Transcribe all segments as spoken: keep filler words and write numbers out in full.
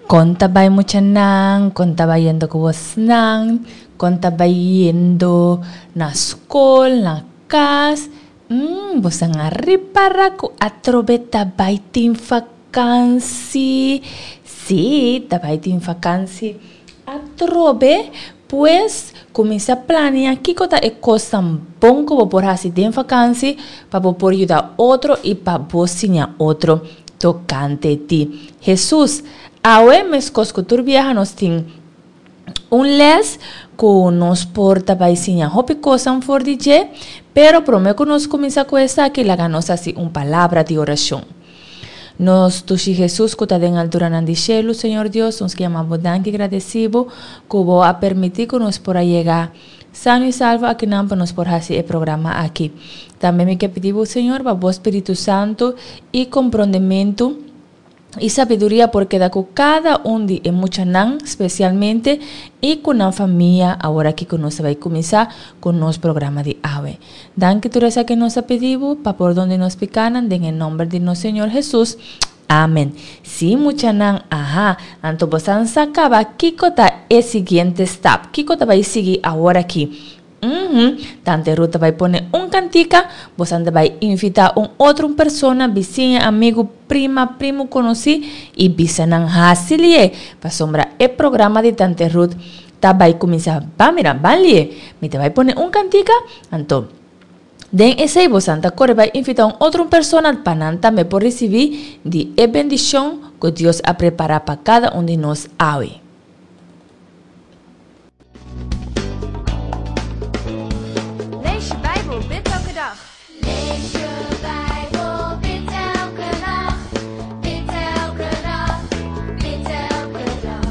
Kon ta bai muchanan, kon ta bayendo ku bosnan, kon ta bayendo na skol, na kas. Mm, bosan a ripara ku atrobe ta bai tin vakansi. Sí, ta bai tin vakansi atrobe. Pues, kuminsá plania kiko ta e kosnan bon ku bo por hasi den vakansi pa bo por yuda otro i pa bo siña otro tokante di Hesus. Awe meskos ku tur biaha nos tin un les ku nos por ta bai siña hopi kosnan for di dje, pero promé ku nos kuminsá ku esaki laga nos hasi un palabra di orashon. Nos dushi Hesus ku ta den alturanan di shelu, Señor Dios, nos ke yama bo danki i gradesí bo ku bo a permití ku nos por a yega sano i salvo akinan pa nos por hasi e programa aki. Tambe mi ke pidi bo, Señor, pa bo Spiritu Santu i komprondementu i sabiduria por keda ku kada un di e muchanan spesialmente i ku nan famia awor aki ku nos ta bai kuminsá ku nos programa di awe. Danki tur esaki nos a pidi bo pa pordon di nos pikanan den e nomber di nos Señor Hesus. Amen. Si muchanan, aha, anto bosan sa kaba kiko ta e siguiente stap, kiko ta bai sigui awor aki. Uhum, Tante Ruth ta bai pone un kantika, bosan ta bai invitá un otro persona, bisiña, amigu, prima, primu konosí i bisa nan hasi lié, pasobra e programa di Tante Ruth ta bai kuminsá. Ban mira, ban lié, mi ta bai pone un kantika, anto den esei bosan ta kore bai invitá un otro persona pa nan tambe por risibí di e bendishon ku Dios a prepará pa kada un di nos awe. Lees je Bijbel, bid elke dag. Lees je Bijbel, bid elke nacht. Bid elke dag, bid elke dag.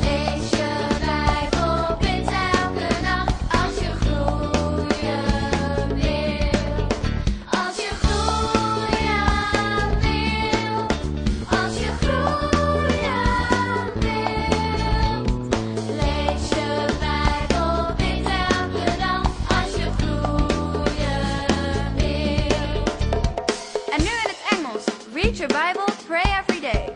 Lees je Bijbel, bid elke nacht. Als je groeien wil. Als je groeien wil. Als je groeien wil. Lees je Bijbel, bid elke dag. Als je groeien wil. En nu in het Engels. Read your Bible, pray every day.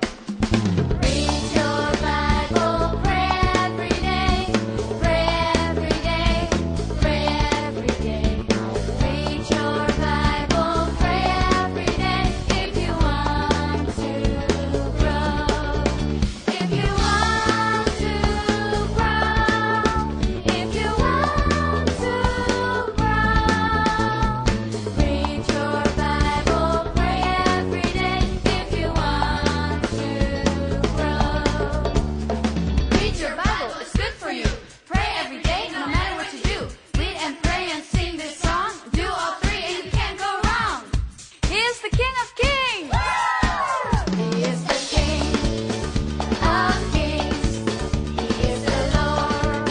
Read your Bible, pray every day, pray every day, pray every day. Read your Bible, pray every day if you want to grow. If you want to grow, if you want to grow. Read your Bible, pray every day if you want to grow. Read your Bible, it's good for you. Pray every day, no matter what you do. Read and pray and sing this song. Do all three and you can't go wrong. He is the King of Kings. He is the King of Kings. He is the Lord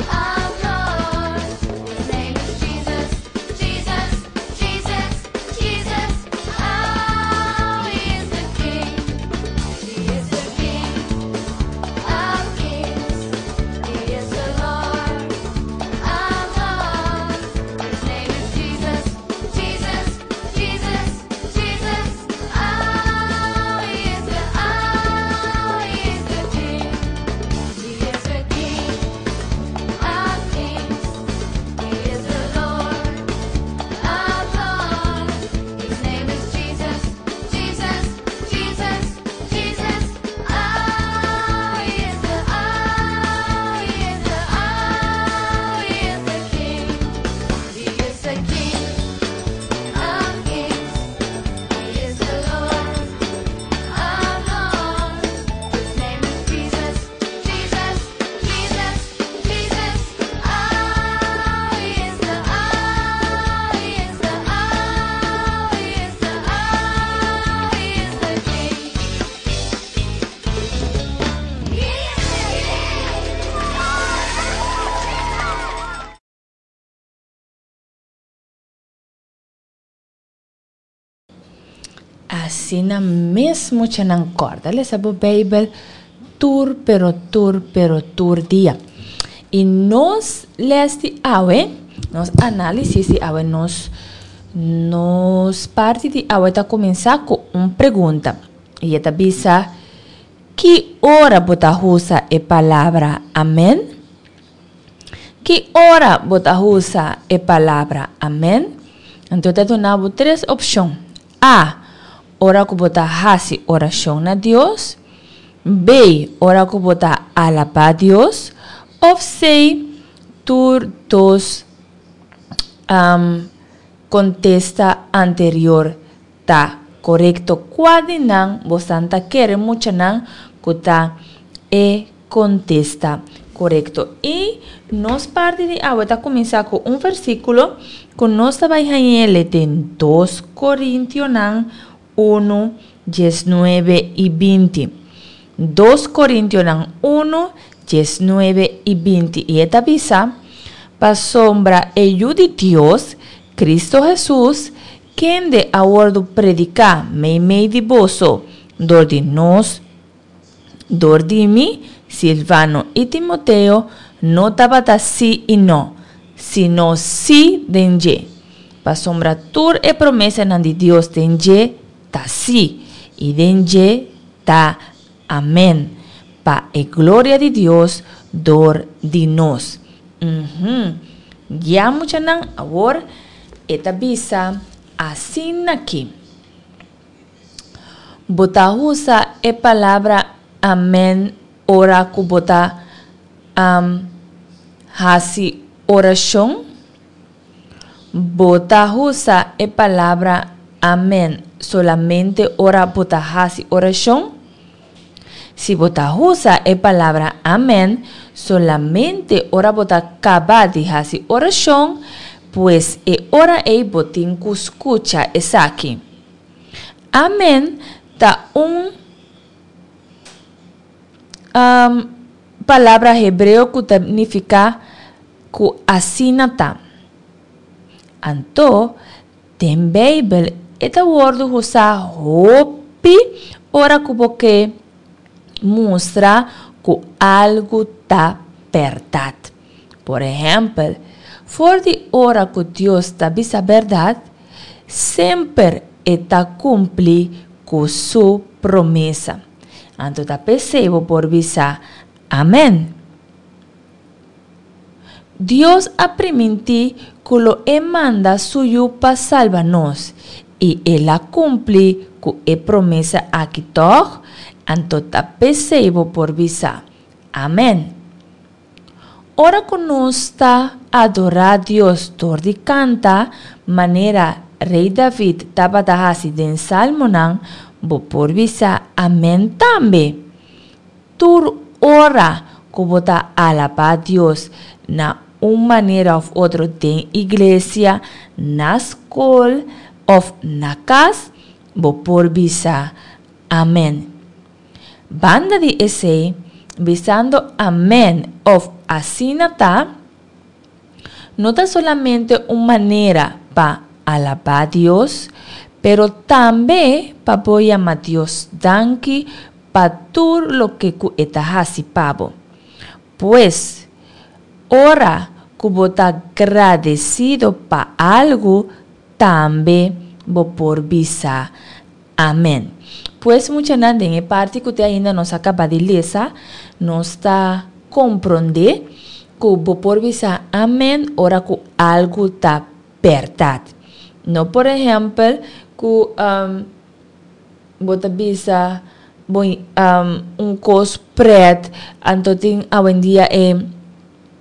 of Lords. His name is Jesus, Jesus, Jesus, Jesus. Oh, he is the King. He is the King of Kings. He is the Lord of Lords. His name is Jesus, Jesus, Jesus, Jesus. Oh, he is the, oh, he is the King. He is the King of Kings. He is the Lord of Lords. His name is Jesus, Jesus, Jesus, Jesus. Oh, he is the, oh, he is the, oh, he is the King. He is the King of Kings. He is the Lord of Lords. His name is Jesus, Jesus, Jesus, Jesus. Oh, he is the, oh, he is the, oh, he is the, oh, he is the King. He is the King. Asina mes muchanan kòrda lesa bo Beibel tur pero tur pero tur dia. I nos lès di awe, nos análisis di awe, nos nos parti di awe ta kuminsá ku un pregunta. I e ta bisa, Ki ora bo ta usa e palabra amèn? Ki ora bo ta usa e palabra amèn? Anto ta duna bo tres opshon. A. Ora ku bo ta hasi orashon na Dios. B. Ora ku bo ta alabá Dios. Òf C. Tur dos um, kontesta anterior ta korekto. Kua di nan boso ta kere, muchanan, ku ta e kontesta korekto? I nos parti di awe ta kuminsá ku un versíkulo ku nos ta bai haña den dos Korintionan un, diesnuebe i binti. dos Korintionan un, diesnuebe i binti. I e ta bisa: "Pasobra e Yu di Dios, Kristu Hesus, kende a wòrdu prediká meimei di boso, dor di nos, dor di mi, Silvano i Timoteo, no tabata sí i no, sino sí den dje. Pasobra tur e promesanan di Dios den dje ta sí, i den dje ta amèn, pa e gloria di Dios dor di nos." Uhum. Ya, muchanan, awor e ta bisa asina aki. Bo ta usa e palabra amèn ora ku bo ta um, hasi orashon? Bo ta usa e palabra amèn solamente ora bo ta hasi orashon? Si bo ta usa e palabra amèn solamente ora bo ta kaba di hasi orashon, pues e ora ei bo tin ku skucha esaki. Amèn ta un um, palabra hebreo ku ta nifiká ku asina ta. Anto, den Beibel, e ta wòrdu usá hopi ora ku bo ke mustra ku algu ta bèrdat. Por ehèmpel, for di ora ku Dios ta bisa bèrdat, semper e ta kumpli ku su promesa. Anto ta p'esei bo por bisa amèn. Dios a primintí ku lo e manda su yu pa salba nos i el a kumpli ku e promesa aki, tòg? Anto ta p'esei bo por bisa amèn. Ora ku nos ta adorá Dios dor di kanta, manera Rei David tabata hasi den Salmonan, bo por bisa amèn tambe. Tur ora ku bo ta alabá Dios na un manera òf otro den iglesia, na skol òf na kas, bo por bisa amèn. Banda di esei, bisando amèn òf asina ta, no ta solamente un manera pa alabá Dios, pero tambe pa bo yama Dios danki pa tur loke ku e ta hasi pa bo. Pues, ora ku bo ta gradesido pa algu, tambe bo por bisa amèn. Pues, muchanan, den e parti ku te ainda nos a kaba di lesa, nos ta komprondé ku bo por bisa amèn ora ku algu ta bèrdat. No, por ehèmpel, ku um, bo ta bisa bo, um, un kos prèt, anto tin awendia e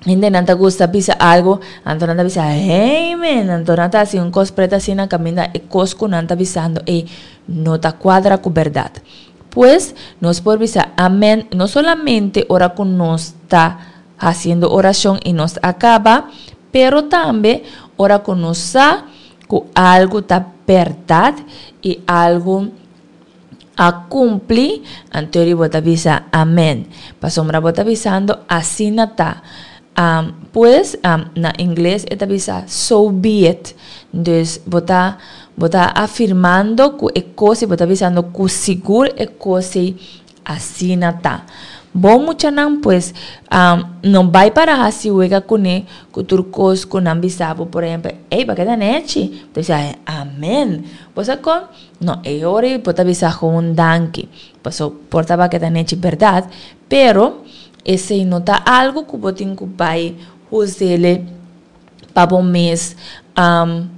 hendenan ta gusta bisa algu, anto nan ta bisa "Amen", anto nan ta hasi un kos prèt asina kaminda e kos ku nan ta bisando e no ta kuadra ku bèrdat. Pues, nos por bisa amèn no solamente ora ku nos ta hasiendo orashon i nos a kaba, pero tambe ora ku nos sa ku algu ta bèrdat i algu a kumpli, anto bo ta bisa amèn. Pasobra bo ta bisando asina ta. Um, pues, um, na ingles e ta bisa "so be it". Dus bo ta bo ta afirmando ku e kos, bo ta bisando ku sigur e kos asina ta. Bon muchanan, pues um, no bai para hasi wega kuné ku tur kos ku nan bisa bo. Por ehèmpel, "Ei, b'a keda nechi." Bo bisa, "Amèn." Bo sa kon? No, e ora ei bo ta bisa gewoon danki. Paso por ta b'a keda nechi bèrdat, pero esei no ta algu ku bo tin ku bai us'é pa bo mes um,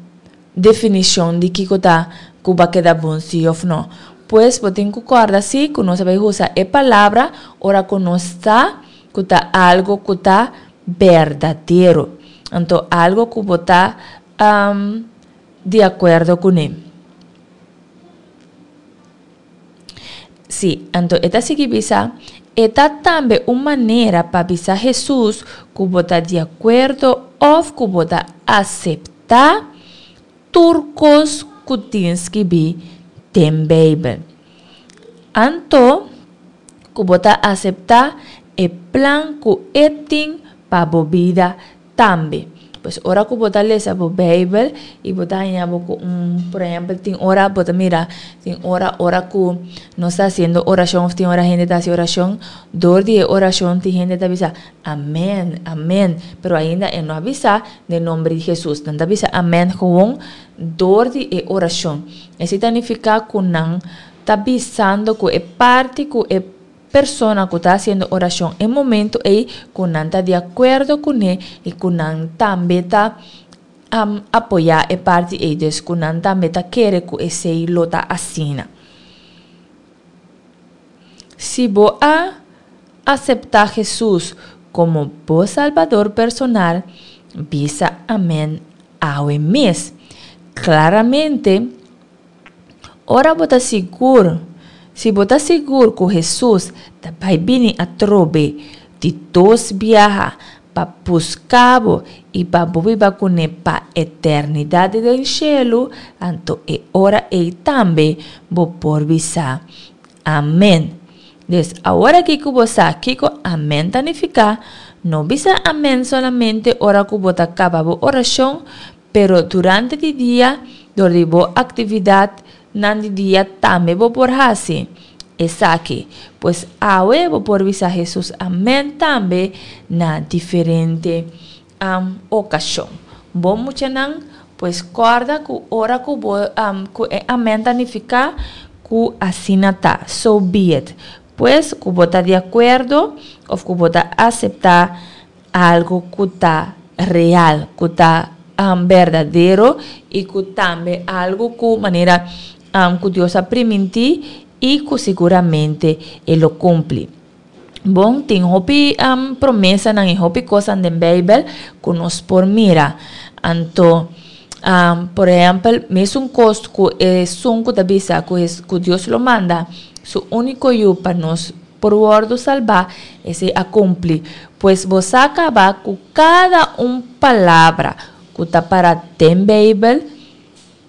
definishon di kiko ta ku b'a keda bon si òf no. Pues bo tin ku kòrda si ku nos bai usa e palabra ora ku nos ta ku ta algu ku ta berdadero. Anto algu ku bo ta um, di akuerdo kuné. Si, anto e ta sigui bisa, e ta tambe un manera pa bisa Hesus ku bo ta di akuerdo òf ku bo ta aseptá tur kos ku tin skibí den Beibel. Anto ku bo ta aseptá e plan ku e tin pa bo bida tambe. Pues ora ku bo ta lesa bo Beibel i bo ta haña bo ku un, por ehèmpel, tin ora bo ta mira, tin ora ora ku nos ta hasiendo orashon òf tin ora hende ta hasi orashon, dor di e orashon tin hende ta bisa "Amèn, amèn", pero ainda e no a bisa "den nòmber di Hesus". Nan ta bisa "amèn" gewoon dor di e orashon. Esei ta nifiká ku nan ta bisando ku e parti ku e persona ku ta hasiendo orashon e momento ei ku nan ta di akuerdo kuné i ku nan tambe ta um, apoyá e parti ei, dus ku nan tambe ta kere ku esei lo ta asina. Si bo a aseptá Hesus komo bo Salbador personal, bisa "amèn" awe mes. Klaramente, ora bo ta sigur, si bo ta sigur ku Hesus ta bai bini atrobe di dos biaha pa buska bo i pa bo biba kuné pa eternidat den shelu, anto e ora ei tambe bo por bisa "amèn". Dus awor aki ku bo sa kiko "amèn" ta nifiká, no bisa "amèn" solamente ora ku bo ta kaba bo orashon, pero durante di dia, dor di bo aktividatnan di dia tambe bo por hasi esaki. Pues awe bo por bisa Hesus "amèn" tambe na diferente um, okashon. Bon muchanan, pues kòrda ku ora ku bo um, ku e "amèn" ta nifiká ku asina ta, so be it. Pues ku bo ta di akuerdo òf ku bo ta aseptá algu ku ta real, ku ta um, berdadero i ku tambe algu ku manera um, ku Dios a primintí i ku siguramente e lo kumpli. Bon, tin hopi um, promesanan i hopi kosnan den Beibel ku nos por mira. Anto, um, por ehèmpel, mesun kos ku esun ku ta bisa ku, ku Dios lo manda su úniko yu pa nos por wòrdu salbá, esei a kumpli. Pues bo sa kaba ku kada un palabra ku ta para den Beibel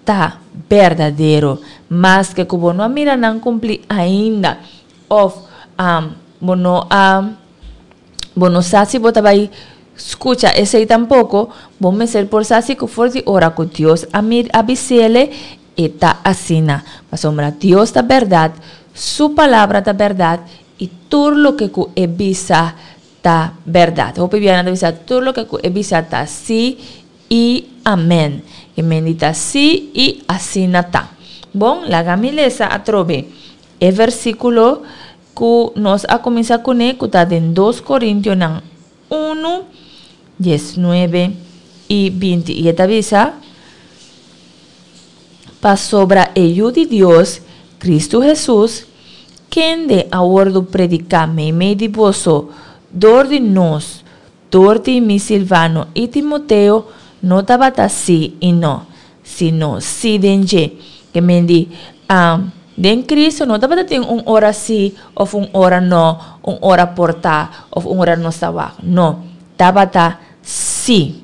ta berdadero. Maske ku bo no a mira nan kumpli ainda òf um, bo no a bo no sa si bo ta bai skucha esei tampoko, bo mester por sa si ku for di ora ku Dios a mir a bis'é, e ta asina. Pasobra Dios ta bèrdat, su palabra ta bèrdat i tur loke ku e bisa ta bèrdat. Hopi biaha nan ta bisa tur loke ku e bisa ta sí i amèn. E mende ta sí i asina ta. Bon, laga mi lesa atrobe e versíkulo ku nos a kuminsá kuné, ku ta den dos Korintionan un, diesnuebe i binti. I e ta bisa: "Pasobra e Yu di Dios, Kristu Hesus, kende a wòrdu prediká meimei di boso dor di nos, dor di mi, Silvano i Timoteo, no tabata sí i no, sino sí den dje." Ke men di, um, den Kristu no tabatin un ora sí òf un ora no, un ora por ta òf un ora nos ta wak. No, tabata sí.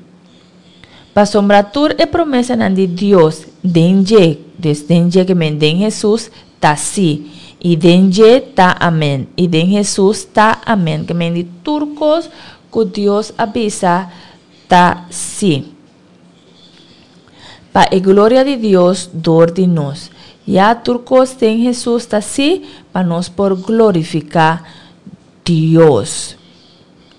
"Pasobra tur e promesanan di Dios den dje", dus den dje ke men den Hesus, "ta sí. I den dje ta amèn." I den Hesus ta amèn. Ke men di tur kos ku Dios a bisa ta sí. "Pa e gloria di Dios dor di nos." Ya tur kos den Hesus ta sí pa nos por glorifiká Dios. Dios.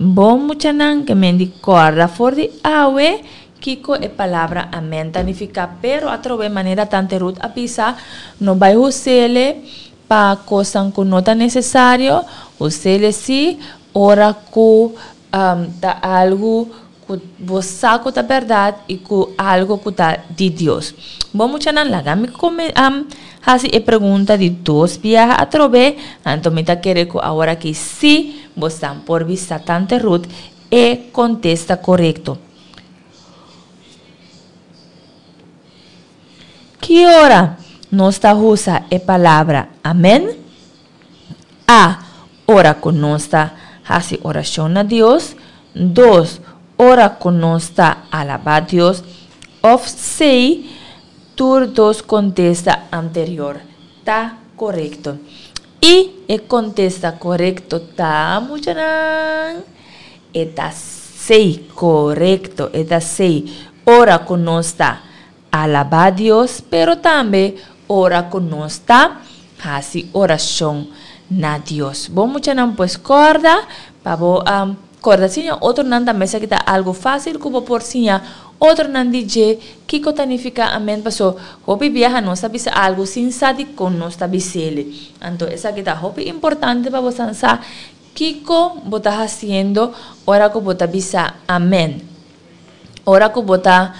Bon muchanan, ke men di kòrda for di awe kiko e palabra amen ta nifiká, pero atrobe manera Tante Ruth a bisa, no bai hus'ele pa kosnan ku no ta nesesario, hus'ele si ora ku ta algu ku bo sa ku ta bèrdat i ku algu ku ta di Dios. Bon muchanan, laga mi kome hasi e pregunta di dos biaha atrobe, anto mi ta kere ku aworakí sí bosan por bisa Tante Ruth e kontesta korekto. Ki ora nos ta usa e palabra amèn? A. Ora ku nos ta hasi orashon na Dios. Dos, ora ku nos ta alabá Dios. Òf C. Tur dos kontesta anterior ta korekto. I e kontesta korekto ta, muchanan? E ta C, korekto, e ta C. Ora ku nos ta alabá Dios, pero tambe ora ku nos ta hasi orashon na Dios. Bo muchanan pues kòrda pa bo kòrda siña otronan tambe esaki ta algu fásil ku bo por siña otronan di dje kiko ta nifiká amèn paso hopi biaha nos ta bisa algu sin sa dikon nos ta bis'el. Anto esaki ta hopi importante pa bo san sa kiko bo ta hasiendo ora ku bo ta bisa amèn. Ora ku bo ta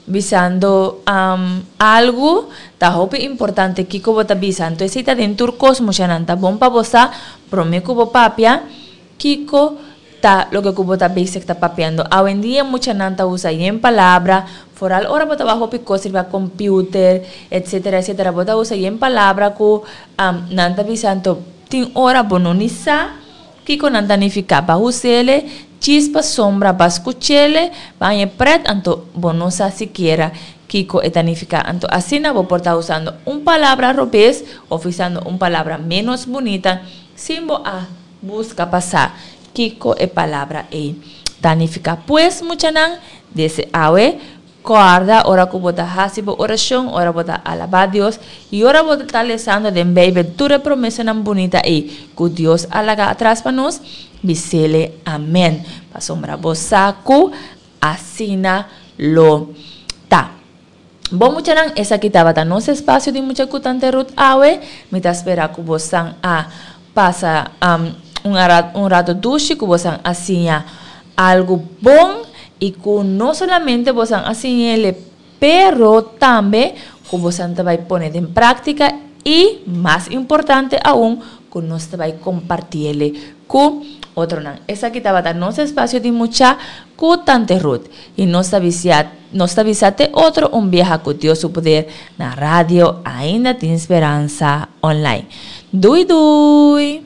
bisando algu ta hopi importante kiko bo ta bisa. Anto esei ta den tur kos mushanan ta bon pa bo sa promé ku bo papia kiko ta loke ku bo ta bezig ta papiando. Awendia muchanan ta usa yen palabra, foral ora bo ta wak hopi kos riba computer, etcetera etcetera, bo ta usa yen palabra ku nan ta bisa anto tin ora bo no ni sa kiko nan ta nifiká. Ba hus'ele djis pasobra ba skuch'ele, ba haña prèt anto bo no sa sikiera kiko e ta nifiká. Anto asina bo por ta usando un palabra robes òf usando un palabra ménos bunita sin bo a buska pa sa kiko e palabra ei ta nifiká. Pues, muchanan, dese awe, kòrda ora ku bo ta hasi bo orashon, ora bo ta alabá Dios i ora bo ta lesando den Beibel tur e promesanan bunita ei ku Dios a laga atras pa nos, bis'Ele amèn, pasobra bo sa ku asina lo ta. Bon muchanan, esaki tabata nos espasio di Mucha ku Tante Ruth awe. Mi ta spera ku bosan a pasa un un rato dushi, ku bosan a siña algu bon i ku no solamente bosan a siñ'ele, pero tambe ku bosan ta bai pone den práktika i, mas importante aun, ku nos ta bai komparti'ele ku otronan. Esaki tabata nos espasio di Mucha ku Tante Ruth. I nos ta bisia nos ta bisa te otro un biaha ku Dios su poder na radio Ainda Tin Speransa Online. Dui dui!